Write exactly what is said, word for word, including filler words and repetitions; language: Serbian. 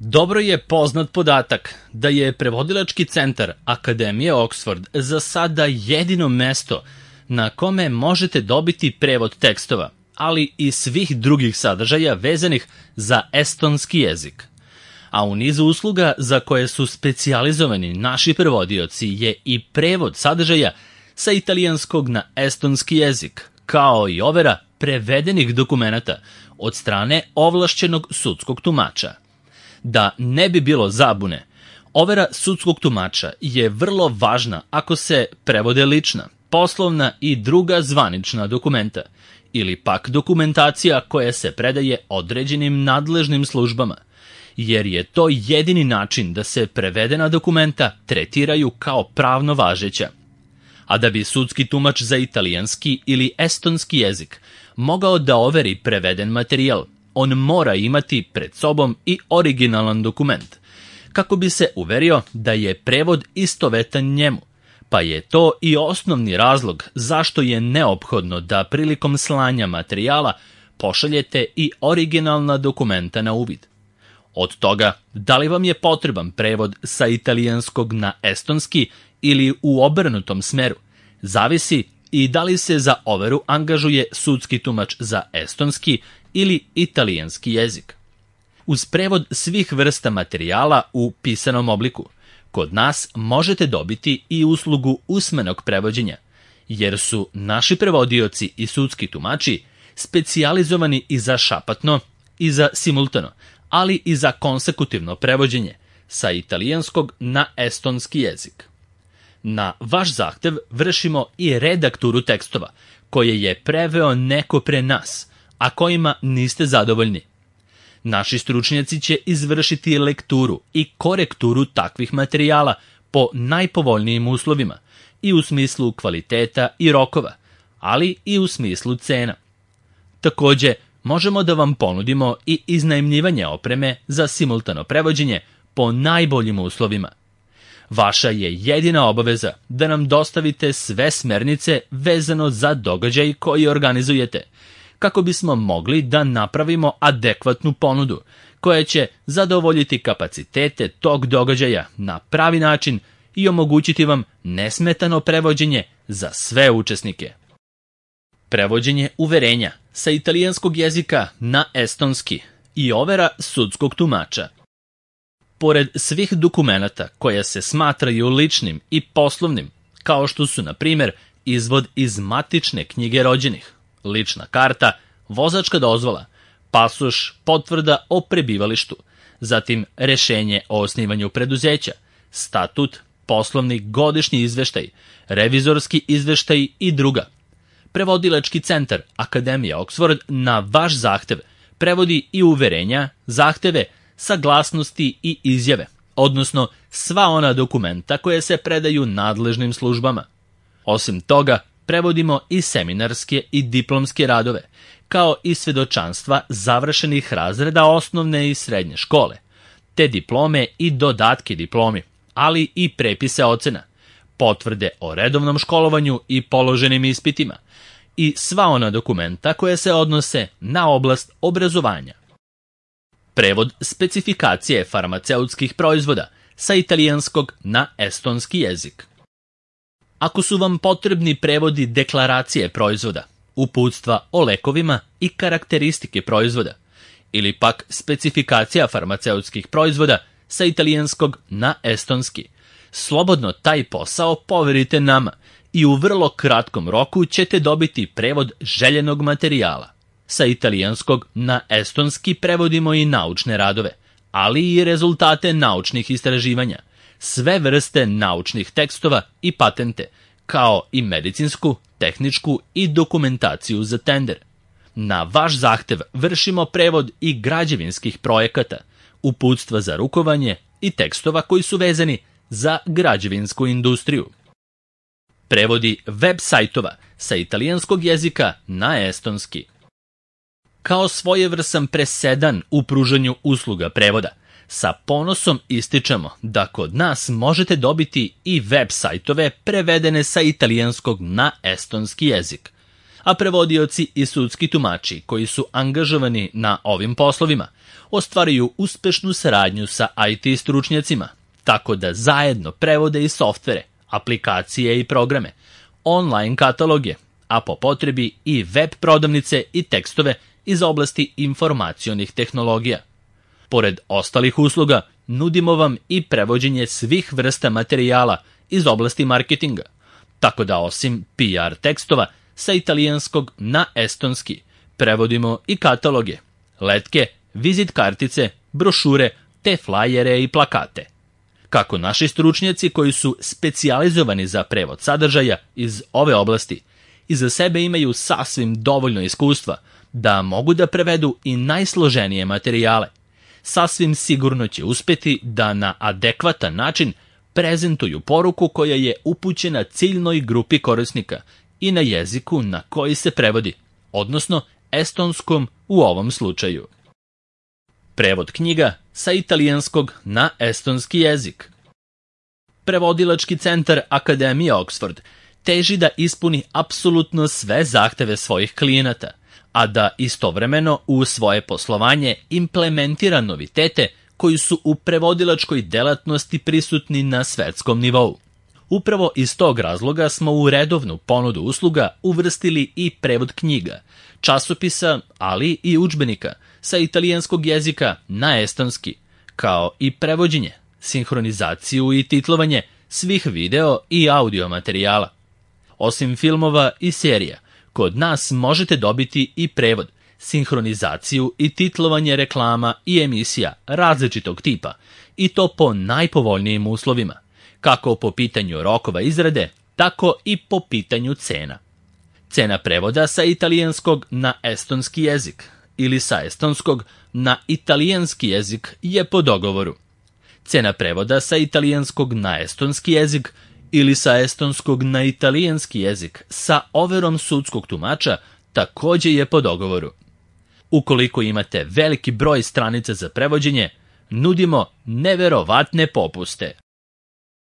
Dobro je poznat podatak da je prevodilački centar Akademije Oxford za sada jedino mesto na kome možete dobiti prevod tekstova, ali i svih drugih sadržaja vezanih za estonski jezik. A u nizu usluga za koje su specijalizovani naši prevodioci je i prevod sadržaja sa italijanskog na estonski jezik, kao i overa prevedenih dokumenata od strane ovlašćenog sudskog tumača. Da ne bi bilo zabune, overa sudskog tumača je vrlo važna ako se prevode lična, poslovna i druga zvanična dokumenta, ili pak dokumentacija koja se predaje određenim nadležnim službama, jer je to jedini način da se prevedena dokumenta tretiraju kao pravno važeća. A da bi sudski tumač za italijanski ili estonski jezik mogao da overi preveden materijal, on mora imati pred sobom i originalan dokument, kako bi se uverio da je prevod istovetan njemu, pa je to i osnovni razlog zašto je neophodno da prilikom slanja materijala pošaljete i originalna dokumenta na uvid. Od toga, da li vam je potreban prevod sa italijanskog na estonski ili u obrnutom smeru, zavisi i da li se za overu angažuje sudski tumač za estonski ili italijanski jezik. Uz prevod svih vrsta materijala u pisanom obliku, kod nas možete dobiti i uslugu usmenog prevođenja, jer su naši prevodioci i sudski tumači specijalizovani i za šapatno i za simultano, ali i za konsekutivno prevođenje sa italijanskog na estonski jezik. Na vaš zahtev vršimo i redakturu tekstova koje je preveo neko pre nas, a kojima niste zadovoljni. Naši stručnjaci će izvršiti lekturu i korekturu takvih materijala po najpovoljnijim uslovima i u smislu kvaliteta i rokova, ali i u smislu cena. Takođe, možemo da vam ponudimo i iznajmljivanje opreme za simultano prevođenje po najboljim uslovima. Vaša je jedina obaveza da nam dostavite sve smernice vezano za događaj koji organizujete, kako bismo mogli da napravimo adekvatnu ponudu koja će zadovoljiti kapacitete tog događaja na pravi način i omogućiti vam nesmetano prevođenje za sve učesnike. Prevođenje uverenja sa italijanskog jezika na estonski i overa sudskog tumača. Pored svih dokumenata koja se smatraju ličnim i poslovnim, kao što su, na primjer, izvod iz matične knjige rođenih, lična karta, vozačka dozvola, pasoš, potvrda o prebivalištu, zatim rešenje o osnivanju preduzeća, statut, poslovni godišnji izveštaj, revizorski izveštaj i druga. Prevodilački centar Akademije Oxford na vaš zahtev prevodi i uverenja, zahteve, saglasnosti i izjave, odnosno sva ona dokumenta koje se predaju nadležnim službama. Osim toga, prevodimo i seminarske i diplomske radove, kao i svedočanstva završenih razreda osnovne i srednje škole, te diplome i dodatke diplomi, ali i prepise ocena, potvrde o redovnom školovanju i položenim ispitima, i sva ona dokumenta koje se odnose na oblast obrazovanja. Prevod specifikacije farmaceutskih proizvoda sa italijanskog na estonski jezik. Ako su vam potrebni prevodi deklaracije proizvoda, uputstva o lekovima i karakteristike proizvoda, ili pak specifikacija farmaceutskih proizvoda sa italijanskog na estonski, slobodno taj posao poverite nama i u vrlo kratkom roku ćete dobiti prevod željenog materijala. Sa italijanskog na estonski prevodimo i naučne radove, ali i rezultate naučnih istraživanja, sve vrste naučnih tekstova i patente, kao i medicinsku, tehničku i dokumentaciju za tender. Na vaš zahtev vršimo prevod i građevinskih projekata, uputstva za rukovanje i tekstova koji su vezani za građevinsku industriju. Prevodi web sajtova sa italijanskog jezika na estonski. Kao svojevrsan presedan u pružanju usluga prevoda, sa ponosom ističemo da kod nas možete dobiti i web sajtove prevedene sa italijanskog na estonski jezik, a prevodioci i sudski tumači koji su angažovani na ovim poslovima ostvaruju uspešnu saradnju sa I T stručnjacima, tako da zajedno prevode i softvere, aplikacije i programe, online kataloge, a po potrebi i web prodavnice i tekstove iz oblasti informacionih tehnologija. Pored ostalih usluga, nudimo vam i prevođenje svih vrsta materijala iz oblasti marketinga, tako da osim P R tekstova sa italijanskog na estonski, prevodimo i kataloge, letke, vizit kartice, brošure te flajere i plakate. Kako naši stručnjaci koji su specijalizovani za prevod sadržaja iz ove oblasti iza sebe imaju sasvim dovoljno iskustva da mogu da prevedu i najsloženije materijale, sasvim sigurno će uspeti da na adekvatan način prezentuju poruku koja je upućena ciljnoj grupi korisnika i na jeziku na koji se prevodi, odnosno estonskom u ovom slučaju. Prevod knjiga sa italijanskog na estonski jezik. Prevodilački centar Akademije Oxford teži da ispuni apsolutno sve zahteve svojih klijenata, a da istovremeno u svoje poslovanje implementira novitete koji su u prevodilačkoj delatnosti prisutni na svetskom nivou. Upravo iz tog razloga smo u redovnu ponudu usluga uvrstili i prevod knjiga, časopisa, ali i udžbenika sa italijanskog jezika na estonski, kao i prevođenje, sinhronizaciju i titlovanje svih video i audio materijala. Osim filmova i serija, kod nas možete dobiti i prevod, sinhronizaciju i titlovanje reklama i emisija različitog tipa, i to po najpovoljnijim uslovima, kako po pitanju rokova izrade, tako i po pitanju cena. Cena prevoda sa italijanskog na estonski jezik ili sa estonskog na italijanski jezik je po dogovoru. Cena prevoda sa italijanskog na estonski jezik ili sa estonskog na italijanski jezik sa overom sudskog tumača takođe je po dogovoru. Ukoliko imate veliki broj stranica za prevođenje, nudimo neverovatne popuste.